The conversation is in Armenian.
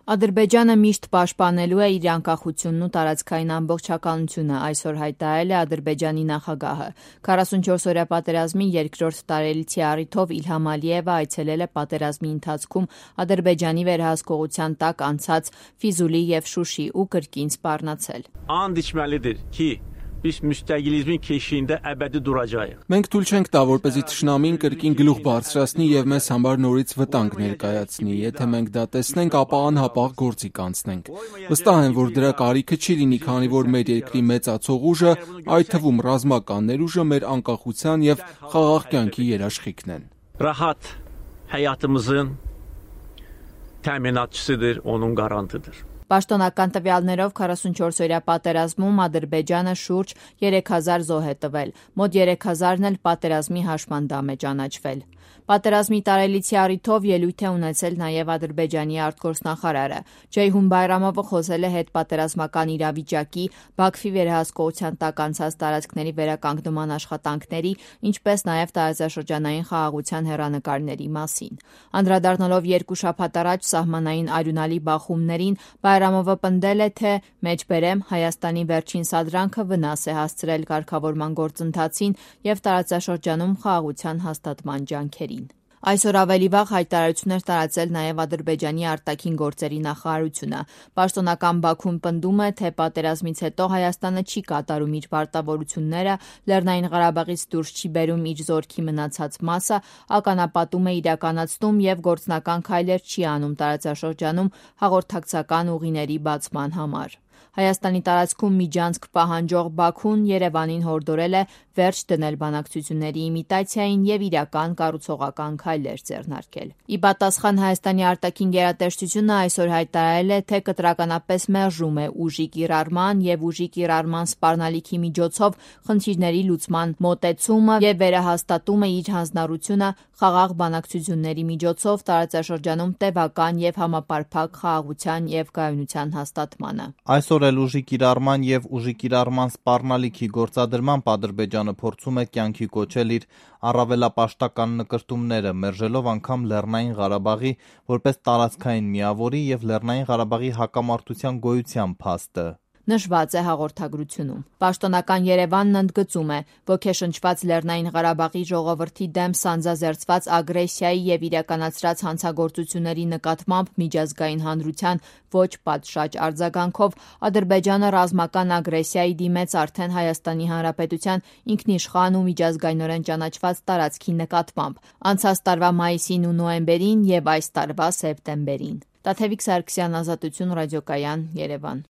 Ադրբեջանը միշտ պաշտպանելու է իր անկախությունն ու տարածքային ամբողջականությունը, այսօր հայտարարել է Ադրբեջանի նախագահը։ 44-օրյա պատերազմի երկրորդ տարելիցի առիթով Իլհամ Ալիևը այցելել է պատերազմի ընթացքում Ադրբեջանի վերահսկողության տակ անցած Ֆիզուլի եւ Շուշի ու կրկին սպառնացել։ Анд içməlidir ki, biz müstəqilizmin keşiyində əbədi duracağıq։ Մենք թույլ չենք տա, որպեսզի թշնամին կրկին գլուխ բարձրացնի եւ մեզ համար նորից վտանգ ներկայացնի։ Եթե մենք դա տեսնենք, ապա անհապաղ գործի կանցնենք։ Վստահ եմ, որ դրա կարիքը չի լինի, քանի որ մեր երկրի մեծացող ուժը, այդ թվում ռազմական ներուժը, մեր անկախության եւ խաղաղ կյանքի երաշխիքն են։ Rahat həyatımızın təminatçısıdır, onun qarantıdır։ Պաշտոնական տվյալներով 44-օրյա պատերազմում Ադրբեջանը շուրջ 3000 զոհ է տվել, մոտ 3000-ն էլ պատերազմի հաշմանդամ է ճանաչվել։ Պատերազմի տարելիցի առիթով ելույթ է ունեցել նաև Ադրբեջանի արտգործնախարարը։ Ջեյհուն Բայրամովը խոսել է հետպատերազմական իրավիճակի, Բաքվի վերահսկողության տակ անցած տարածքների վերականգնման աշխատանքների, ինչպես նաև տարածաշրջանային խաղաղության հեռանկարների մասին։ Անդրադառնալով երկու շաբաթ առաջ սահմանային արյունալի բախումներին, Բայրամովը պնդել է, թե մեջբերեմ Հայաստանի վերջին սադրանքը վնաս է հասցրել կարգավորման գործընթացին եւ տարածաշրջանում խաղաղության հաստատման ջանքերին։ Այսօր ավելի վաղ հայտարարություն էր տարածել նաև Ադրբեջանի արտաքին գործերի նախարարությունը։ Պաշտոնական Բաքուն պնդում է, թե պատերազմից հետո Հայաստանը չի կատարում իր պարտավորությունները, Լեռնային Ղարաբաղից դուրս չի բերում իր զորքի մնացած մասը, ականապատում է իրականացնում եւ գործնական քայլեր չի անում տարածաշրջանում հաղորդակցական ուղիների բացման համար։ Հայաստանի տարածքում միջանցք պահանջող Բաքուն Երևանին հորդորել է վերջ դնել բանակցությունների իմիտացիային եւ իրական կառուցողական քայլեր ձեռնարկել։ Ի պատասխան Հայաստանի արտաքին գերատեսչությունը այսօր հայտարարել է, թե կտրականապես մերժում է ուժի կիրառման եւ ուժի կիրառման սպառնալիքի միջոցով խնդիրների լուծման մոտեցումը եւ վերահաստատում է իր հանձնառությունը խաղաղ բանակցությունների միջոցով տարածաշրջանում տևական եւ համապարփակ խաղաղության եւ կայունության հաստատմանը։ Այսօր էլ ուժի կիրառման եւ ուժի կիրառման սպառնալիքի գործադրմամբ Ադրբեջանը փորձում է կյանքի կոչել իր առավելապաշտական նկրտումները, մերժելով անգամ Լեռնային Ղարաբաղի որպես տարածքային միավորի եւ Լեռնային Ղարաբաղի հակամարտության գոյության փաստը։ Նշված է հաղորդագրությունում։ Պաշտոնական Երևանն ընդգծում է, ոգեշնչված Լեռնային Ղարաբաղի ժողովրդի դեմ սանձազերծված ագրեսիայի եւ իրականացրած հանցագործությունների նկատմամբ միջազգային հանրության ոչ պատշաճ արձագանքով Ադրբեջանը ռազմական ագրեսիայի դիմեց արդեն Հայաստանի Հանրապետության ինքնիշխան ու միջազգայինորեն ճանաչված տարածքի նկատմամբ անցած տարվա մայիսին ու նոյեմբերին եւ այս տարվա սեպտեմբերին։ Տաթևիկ Սարգսյան, Ազատություն ռադիոկայան, Երևան։